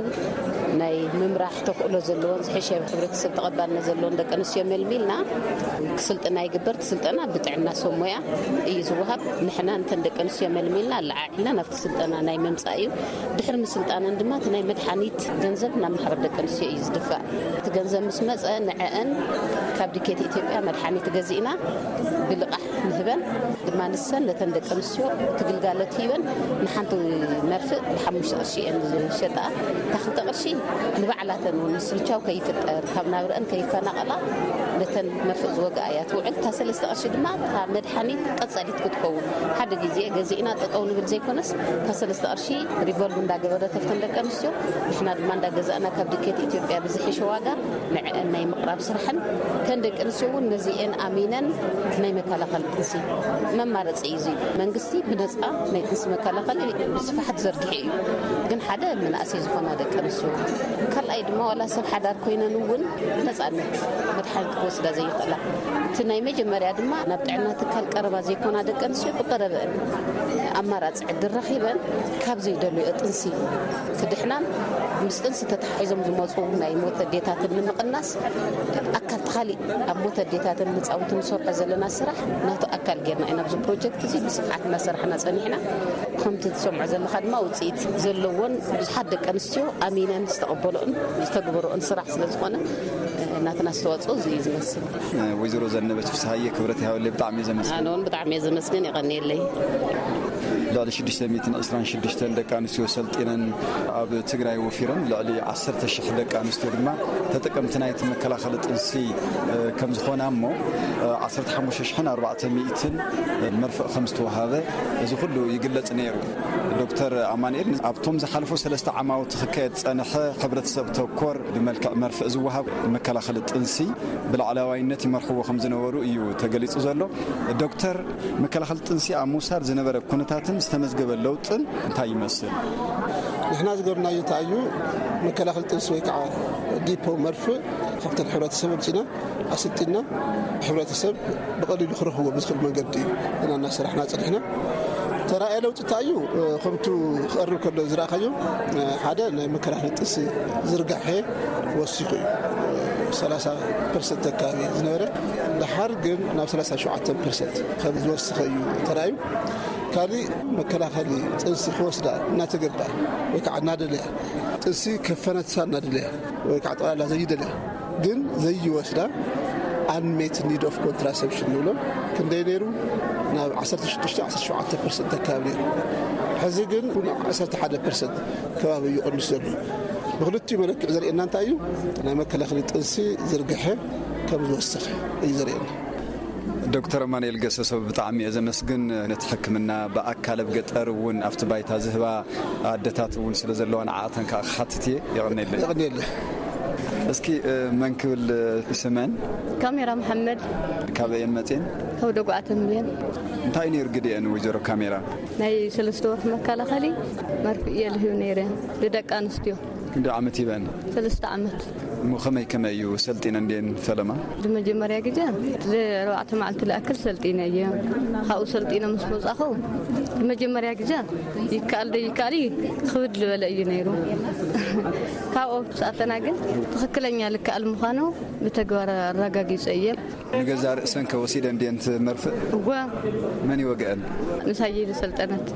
ናይ ምምራሕ ተኽእሎ ዘለዎን ዝሕሸ ሕብረተሰብ ተቐባልነት ዘለዎን ደቂ ኣንስትዮ መልሚልና ክስልጥና ይግበር። እቲ ስልጠና ብጥዕና ሰብ ሞያ እዩ ዝወሃብ። ንሕና እንተን ደቂ ኣንስትዮ መልሚልና ኣለዓዒልና ናብቲ ስልጠና ናይ ምምፃእ እዩ። ድሕሪ ምስልጣነን ድማ እቲ ናይ መድሓኒት ገንዘብ ናብ ማሕበር ደቂ ኣንስትዮ እዩ ዝድፋእ። እቲ ገንዘብ ምስ መፀ ንዐአን ካብ ዲኬት ኢትዮጵያ መድሓኒት ገዚእና ብልቓሕ ንህበን ድማ ንሰን ነተን ደቂ ኣንስትዮ እቲ ግልጋሎት ሂበን ንሓንቲ መርፍእ ብሓሙሽተ ቅርሺ እየን ዝሸጣ። እታ ክልተ ቅርሺ ንባዕላተን እውን ምስልቻው ከይፍጠር ካብ ናብረአን ከይፈናቐላ ነተን መርፍእ ዝወግኣ እያ ትውዕል። እታ ሰለስተ ቅርሺ ድማ እታ መድሓኒት ቀፃሊት ክትከውን ሓደ ግዜ ገዚእና ጠጠው ንብል ዘይኮነስ እታ ሰለስተ ቅርሺ ሪቮልቭ እንዳገበረት ኣብተን ደቂ ኣንስትዮ ንሕና ድማ እንዳገዛእና ካብ ድኬት ኢትዮጵያ ብዝሕሸ ዋጋ ንዕአን ናይ ምቕራብ ስራሕን እተን ደቂ ኣንስትዮ እውን ነዚአን ኣሚነን ናይ መከላኸሊ ጥንሲ መማረፂ እዩ። እዚ መንግስቲ ብነፃ ናይ ጥንሲ መከላኸሊ ብስፋሓት ዘርጊሑ እዩ። ግን ሓደ መናእሰይ ዝኾና ደቂ ኣንስትዮ፣ ካልኣይ ድማ ዋላ ሰብ ሓዳር ኮይነን እውን ነፃነት መድሓኒት ክወስዳ ዘይኽእላ፣ እቲ ናይ መጀመርያ ድማ ናብ ጥዕና ትካል ቀረባ ዘይኮና ደቂ ኣንስትዮ ብቀረበአን ኣማራፂ ዕድል ረኺበን ካብ ዘይደልዮ ጥንሲ ክድሕናን ምስ ጥንሲ ተተሓሒዞም ዝመፁ ናይ ሞት ኣዴታትን ንምቕናስ ኣካል ተኻሊ ኣብ ሞት ኣዴታትን ህፃውንትን ንሰርሖ ዘለና ስራሕ ናቱ ኣካል ጌርና ኢና ኣብዚ ፕሮጀክት እዚ ብስፍሓት እናሰራሕና ፀኒሕና። ከምቲ ትሰምዖ ዘለኻ ድማ ውፅኢት ዘለዎን ብዙሓት ደቂ ኣንስትዮ ኣሚነን ዝተቐበልኦን ዝተግበርኦን ስራሕ ስለ ዝኾነ ናትና ኣስተዋፅኦ እዚ እዩ ዝመስል። ወይዘሮ ዘነበች ፍስሃየ፣ ክብረት ይሃበለይ፣ ብጣዕሚ እየ ዘመስግን። ኣነ እውን ብጣዕሚ እየ ዘመስግን፣ የቐንየለይ። ልዕሊ ሽዱሽተ ሚእትን ዕስራን ሽዱሽተን ደቂ ኣንስትዮ ሰልጢነን ኣብ ትግራይ ወፊረን፣ ልዕሊ ዓሰርተ ሽሕ ደቂ ኣንስትዮ ድማ ተጠቀምቲ ናይቲ መከላኸሊ ጥንሲ ከም ዝኾና እሞ ዓሰርተ ሓሙሽተ ሽሕን ኣርባዕተ ሚእትን መርፍእ ከም ዝተዋሃበ እዚ ኩሉ ይግለጽ ነይሩ። ዶክተር ኣማኑኤል፣ ኣብቶም ዝሓለፉ ሰለስተ ዓማውቲ ክካየድ ዝጸንሐ ሕብረተሰብ ተኮር ብመልክዕ መርፍእ ዝወሃብ መከላኸሊ ጥንሲ ብላዕለዋይነት ይመርሕዎ ከም ዝነበሩ እዩ ተገሊጹ ዘሎ። ዶክተር፣ መከላኸሊ ጥንሲ ኣብ ምውሳድ ዝነበረ ኩነታትን ዝተመዝገበ ለውጥን እንታይ ይመስል? ንሕና ዝገርናዮ እንታይ እዩ፣ መከላኸሊ ጥንሲ ወይ ከዓ ዲፖ መርፍእ ካብተን ሕብረተሰብ ኣምፂና ኣሰልጢና ሕብረተሰብ ብቐሊሉ ክረኽቦ ብዝኽእል መንገዲ እዩ ኢና እናሰራሕና ፀኒሕና። ተራእየ ለውጢ እንታይ እዩ? ከምቱ ክቐርብ ከሎ ዝረኣኻዮ ሓደ ናይ መከላኸሊ ጥንሲ ዝርጋሐ ወሲኹ እዩ። ሰላሳ ፐርሰንት ኣካባቢ ዝነበረ ድሓር ግን ናብ ሰላሳ ሸውዓተ ፐርሰንት ከም ዝወሰኸ እዩ ተራእዩ። ካልእ መከላኸሊ ጥንሲ ክወስዳ እናተገባ ወይ ከዓ እናደለያ ጥንሲ ከፈነትሳ እናደለያ ወይ ከዓ ጠቕላላ ዘይደለያ ግን ዘይወስዳ ኣንሜት ኒድ ኦፍ ኮንትራሰፕሽን ንብሎ ክንደይ ነይሩ? ናብ ዓሰርተ ሽዱሽተ ዓሰርተ ሸውዓተ ፐርሰንት ኣካባቢ ነይሩ። ሕዚ ግን ዓሰርተ ሓደ ፐርሰንት ከባቢ እዩ ቀንሱ ዘሎ። ብክልቲኡ መለክዕ ዘርእየና እንታይ እዩ? ናይ መከላኸሊ ጥንሲ ዝርግሐ ከም ዝወሰኸ እዩ ዘርእየና። ዶክተር ኣማኑኤል ገሰሰ፣ ብጣዕሚ እየ ዘመስግን። ነቲ ሕክምና ብኣካል ኣብ ገጠር እውን ኣብቲ ባይታ ዝህባ ኣደታት እውን ስለ ዘለዋ ንዓኣተን ከዓ ክሓትት እየ። የቐንየለይ። የቐንየለይ። እስኪ መን ክብል ስመን? ካሜራ መሓመድ። ካበየን መፅየን? ካብ ደጉዓ ተምቤን። እንታይ ነይሩ ግዲአን ወይዘሮ ካሜራ? ናይ ሰለስተ ወርሒ መከላኸሊ መርፍእ እየ ልህብ ነይረ ንደቂ ኣንስትዮ። ክንደይ ዓመት ይበን? ሰለስተ ዓመት። እሞ ከመይ ከመይ እዩ ሰልጢነ እንዴን ፈለማ? ብመጀመርያ ግዜ ንኣርባዕተ መዓልቲ ዝኣክል ሰልጢነ እየ። ካብኡ ሰልጢነ ምስ መጻኹ ብመጀመርያ ግዜ ይከኣል ዶ ይከኣል እዩ ክብድ ዝበለ እዩ ነይሩ። ካብኡ ክሳተና ግን ትኽክለኛ ልከኣል ምዃኑ ብተግባር ኣረጋጊጸ እየ። ንገዛ ርእሰን ከወሲደ እንዴን ትመርፍእ? እወ። መን ይወግአን? ምሳይ ዝሰልጠነት።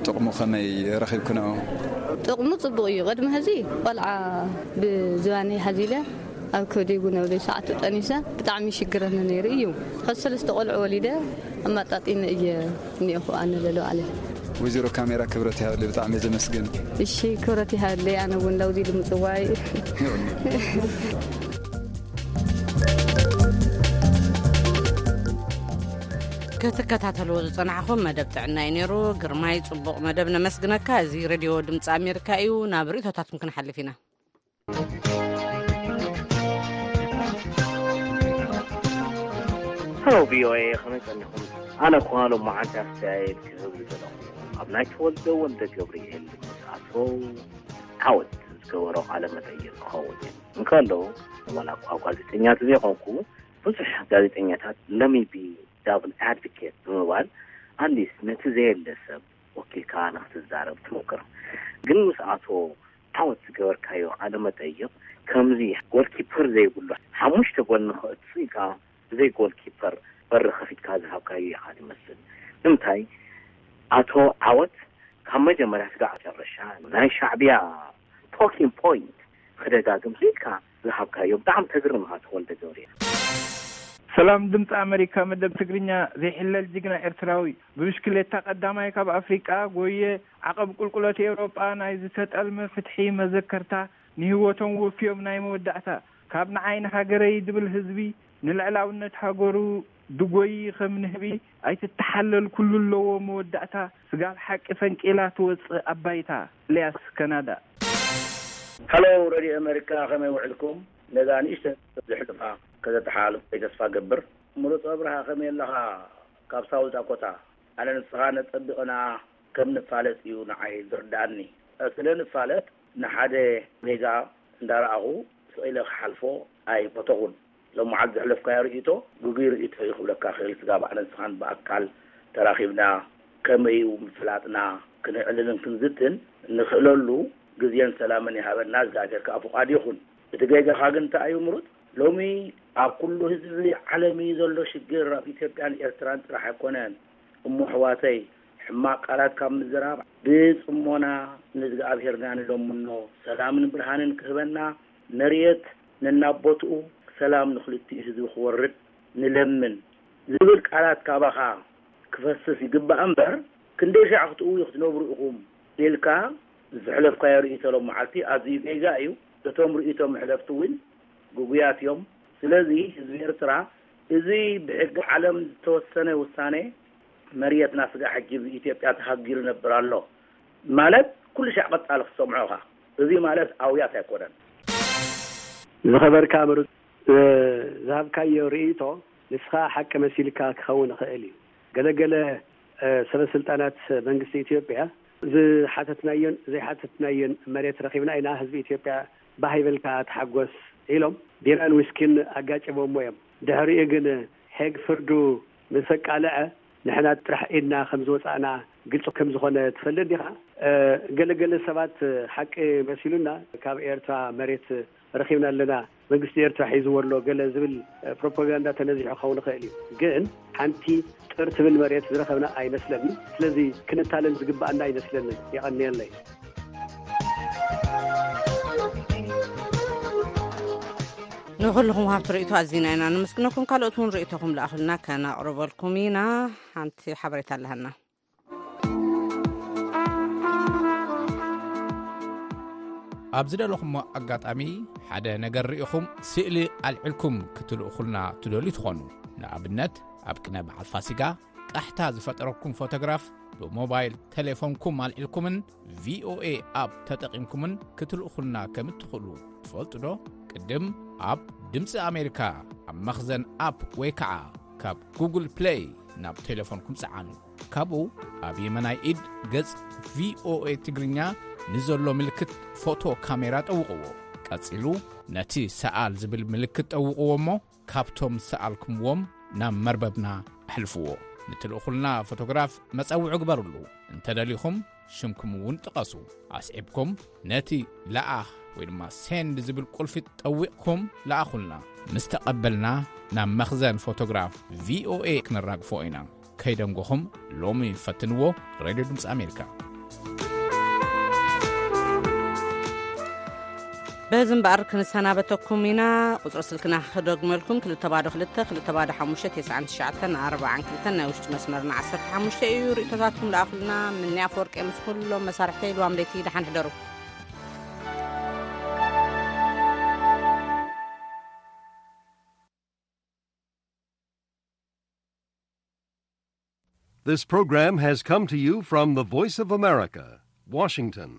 ጥቕሙ ከመይ ረኺብክንኦ? ጥቕሙ ጽቡቕ እዩ። ቅድሚ ሕዚ ቆልዓ ብዝባነይ ሓዚለ ኣብ ከብደይ እውን ኣብ ሰዓቱ ጠኒሰ ብጣዕሚ ሽግረኒ ነይሩ እዩ። ሕዚ ሰለስተ ቆልዑ ወሊደ ኣማጣጢነ እየ እኒኦኹ ኣነ ለሎ ኣለ። ወይዘሮ ካሜራ ክብረት ይሃብልይ፣ ብጣዕሚ እየ ዘመስግን። እሺ፣ ክብረት ይሃብልይ፣ ኣነ እውን ለውዚ ልምጽዋይ። ክትከታተልዎ ዝጸናሕኹም መደብ ጥዕና እዩ ነይሩ። ግርማይ፣ ጽቡቕ መደብ፣ ነመስግነካ። እዚ ሬድዮ ድምፂ ኣሜሪካ እዩ። ናብ ርእቶታትኩም ክንሓልፍ ኢና። ሄሎ ቪ ኦ ኤ፣ ከመይ ጸኒኹም? ኣነ እኳ ሎማዓንቲ ኣስተያየት ክህብ ዝደለኹ፣ ኣብ ናይ ተወልደ ወልደ ገብርኤል ምስ ኣቶ ዓወት ዝገበሮ ቃለ መጠይቕ ክኸውን እዩ። እንከሎ፣ ዋላ እኳ ጋዜጠኛ ተዘይኮንኩ፣ ብዙሕ ጋዜጠኛታት፣ let me be double advocate ብምባል፣ ኣትሊስት ነቲ ዘየለ ሰብ ወኪልካ ንክትዛረብ ትሞክር። ግን ምስ ኣቶ ዓወት ዝገበርካዮ ቃለ መጠይቕ፣ ከምዚ ጎልኪፐር ዘይብሉ፣ ሓሙሽተ ጎል ንኸእቱ ኢልካ ብዘይ ጎልኪፐር በሪ ከፊትካ ዝሃብካዮ ኢኻ ትመስል። ንምንታይ? ኣቶ ዓወት ካብ መጀመርያ ስጋዕ መጨረሻ ናይ ሻዕብያ ቶኪንግ ፖይንት ክደጋግም ኢልካ ዝሃብካዮ ብጣዕሚ ተግርም ኢኻ፣ ተወልደ ገብርኤል። ሰላም ድምፂ ኣሜሪካ መደብ ትግርኛ። ዘይሕለል ጅግና ኤርትራዊ፣ ብብሽክሌታ ቀዳማይ ካብ ኣፍሪቃ ጎየ፣ ዓቐብ ቁልቁለት ኤውሮጳ ናይ ዝተጠልመ ፍትሒ መዘከርታ፣ ንህይወቶም ወፍዮም ናይ መወዳእታ፣ ካብ ንዓይ ንሃገረይ ድብል ህዝቢ፣ ንልዕላውነት ሃገሩ ድጎዪ ከም ንህቢ፣ ኣይትተሓለል ኩሉ ኣለዎ መወዳእታ፣ ስጋብ ሓቂ ፈንቂላ ትወጽእ ኣባይታ። ኤልያስ፣ ካናዳ። ሃሎ ሬድዮ ኣሜሪካ፣ ከመይ ውዕልኩም? ነዛ ንእሽተይ ዘሕልፋ ከተተሓላልፉለይ ተስፋ ገብር። ምሩፅ ኣብርሃ፣ ከመይ ኣለኻ? ካብ ሳውት ዳኮታ። ኣነ ንስኻ ነጸቢቕና ከም ንፋለጥ እዩ ንዓይ ዝርድኣኒ። ስለ ንፋለጥ ንሓደ ጌጋ እንዳረኣኹ ስቕ ኢለ ክሓልፎ ኣይፈተኹን። ሎማዓንቲ ዘሕለፍካዮ ርእይቶ ግጉይ ርእይቶ እዩ ክብለካ ክእል። ስጋብ ኣነ ንስኻን ብኣካል ተራኺብና ከመይ እዩ ምፍላጥና ክነዕልልን ክንዝትን ንኽእለሉ ግዜን ሰላምን ይሃበና እግዚኣብሔር ከኣ ፍቓዱ ይኹን። እቲ ጌጋኻ ግን እንታይ እዩ ምሩፅ? ሎሚ ኣብ ኩሉ ህዝቢ ዓለም እዩ ዘሎ ሽግር፣ ኣብ ኢትዮጵያን ኤርትራን ጥራሕ ኣይኮነን። እሞ ኣሕዋተይ፣ ሕማቕ ቃላት ካብ ምዝራብ ብጽሞና ንእዝግኣብሄርና ንለምኖ፣ ሰላምን ብርሃንን ክህበና፣ መርየት ነናቦትኡ ሰላም ንኽልቲኡ ህዝቢ ክወርድ ንለምን ዝብል ቃላት ካባኻ ክፈስስ ይግባእ እምበር፣ ክንደይ ሻዕ ክትእውዩ ክትነብሩ ኢኹም ኢልካ ዘሕለፍካዮ ርእይቶ ሎም መዓልቲ ኣዝዩ ጌጋ እዩ። እቶም ርእይቶ መሕለፍቲ እውን ግጉያት እዮም። ስለዚ ህዝቢ ኤርትራ፣ እዚ ብሕጊ ዓለም ዝተወሰነ ውሳኔ መርየትና ስጋዕ ሕጂ ብኢትዮጵያ ተሃጊሩ ይነብር ኣሎ ማለት ኩሉ ሻዕ ቀጻሊ ክትሰምዖ ኢኻ። እዚ ማለት ኣውያት ኣይኮነን። ዝኸበርካ ምሩጽ፣ እ፣ ዝሃብካዮ ርእይቶ ንስኻ ሓቂ መሲልካ ክኸውን ይኽእል እዩ። ገለገለ፣ እ፣ ሰበ ስልጣናት መንግስቲ ኢትዮጵያ ዝሓተትናዮን ዘይሓተትናዮን መሬት ረኺብና ኢና፣ ህዝቢ ኢትዮጵያ ባህ ይበልካ ተሓጎስ ኢሎም ቢራን ዊስኪን ኣጋጭቦሞ እዮም። ድሕሪኡ ግን ሄግ ፍርዱ ምስ ኣቃልዐ ንሕና ጥራሕ ኢድና ከም ዝወጻእና ግልጺ ከም ዝኾነ ትፈልጥ ዲኻ? እ፣ ገለገለ ሰባት ሓቂ መሲሉና ካብ ኤርትራ መሬት ረኺብና ኣለና፣ መንግስቲ ኤርትራ ሒዝዎ ኣሎ ገለ ዝብል፣ እ፣ ፕሮፓጋንዳ ተነዚሑ ክኸውን ይኽእል እዩ። ግን ሓንቲ ጥር ትብል መሬት ዝረኸብና ኣይመስለኒ። ስለዚ ክንታለል ዝግባኣና ኣይመስለንን። የቐንየለይ። ንኹልኹም ሃብቲ ርእይቶ ኣዚና ኢና ነመስግነኩም። ካልኦት እውን ርእይቶኹም ለኣኹልና ከነቕርበልኩም ኢና። ሓንቲ ሓበሬታ ኣለሃና። ኣብ ዝደለኹሞ ኣጋጣሚ ሓደ ነገር ርኢኹም ስእሊ ኣልዒልኩም ክትልእኹልና ትደልዩ ትኾኑ። ንኣብነት፣ ኣብ ቅነ በዓል ፋሲጋ ቃሕታ ዝፈጠረኩም ፎቶግራፍ ብሞባይል ቴሌፎንኩም ኣልዒልኩምን ቪ ኦ ኤ ኣፕ ተጠቒምኩምን ክትልእኹልና ከም እትኽእሉ ትፈልጡ ዶ? ቅድም ኣብ ድምፂ ኣሜሪካ ኣብ መኽዘን ኣፕ ወይ ከዓ ካብ ጉግል ፕሌይ ናብ ቴሌፎንኩም ጸዓኑ። ካብኡ ኣብ የመናይ ኢድ ገጽ ቪ ኦ ኤ ትግርኛ ንዘሎ ምልክት ፎቶ ካሜራ ጠውቕዎ። ቀጺሉ ነቲ ሰኣል ዝብል ምልክት ጠውቕዎ እሞ ካብቶም ሰኣልኩምዎም ናብ መርበብና ኣሕልፍዎ። ንትልእኹልና ፎቶግራፍ መጸውዒ ግበሩሉ። እንተደሊኹም ሽምኩም እውን ጥቐሱ። ኣስዒብኩም ነቲ ለኣኽ ወይ ድማ ሴንድ ዝብል ቁልፊ ጠዊቕኩም ለኣኹልና። ምስ ተቐበልና ናብ መኽዘን ፎቶግራፍ ቪኦኤ ክነራግፎ ኢና። ከይደንጎኹም ሎሚ ፈትንዎ። ሬድዮ ድምፂ ኣሜሪካ። በዚ እምበኣር ክንሰናበተኩም ኢና። ቁፅሪ ስልክና ክደግመልኩም፣ ክልተ ባዶ ክልተ፣ ክልተ ባዶ ሓሙሽተ፣ ተስዓን ትሽዓተን ኣርባዓን ክልተን፣ ናይ ውሽጢ መስመርና ዓሰርተ ሓሙሽተ እዩ። ርእቶታትኩም ለኣኹልና። ምኒ ኣፈወርቂ ምስ ኩሎም መሳርሕተይ ልዋም ለይቲ ደሓን ሕደሩ። This program has come to you from the Voice of America, Washington.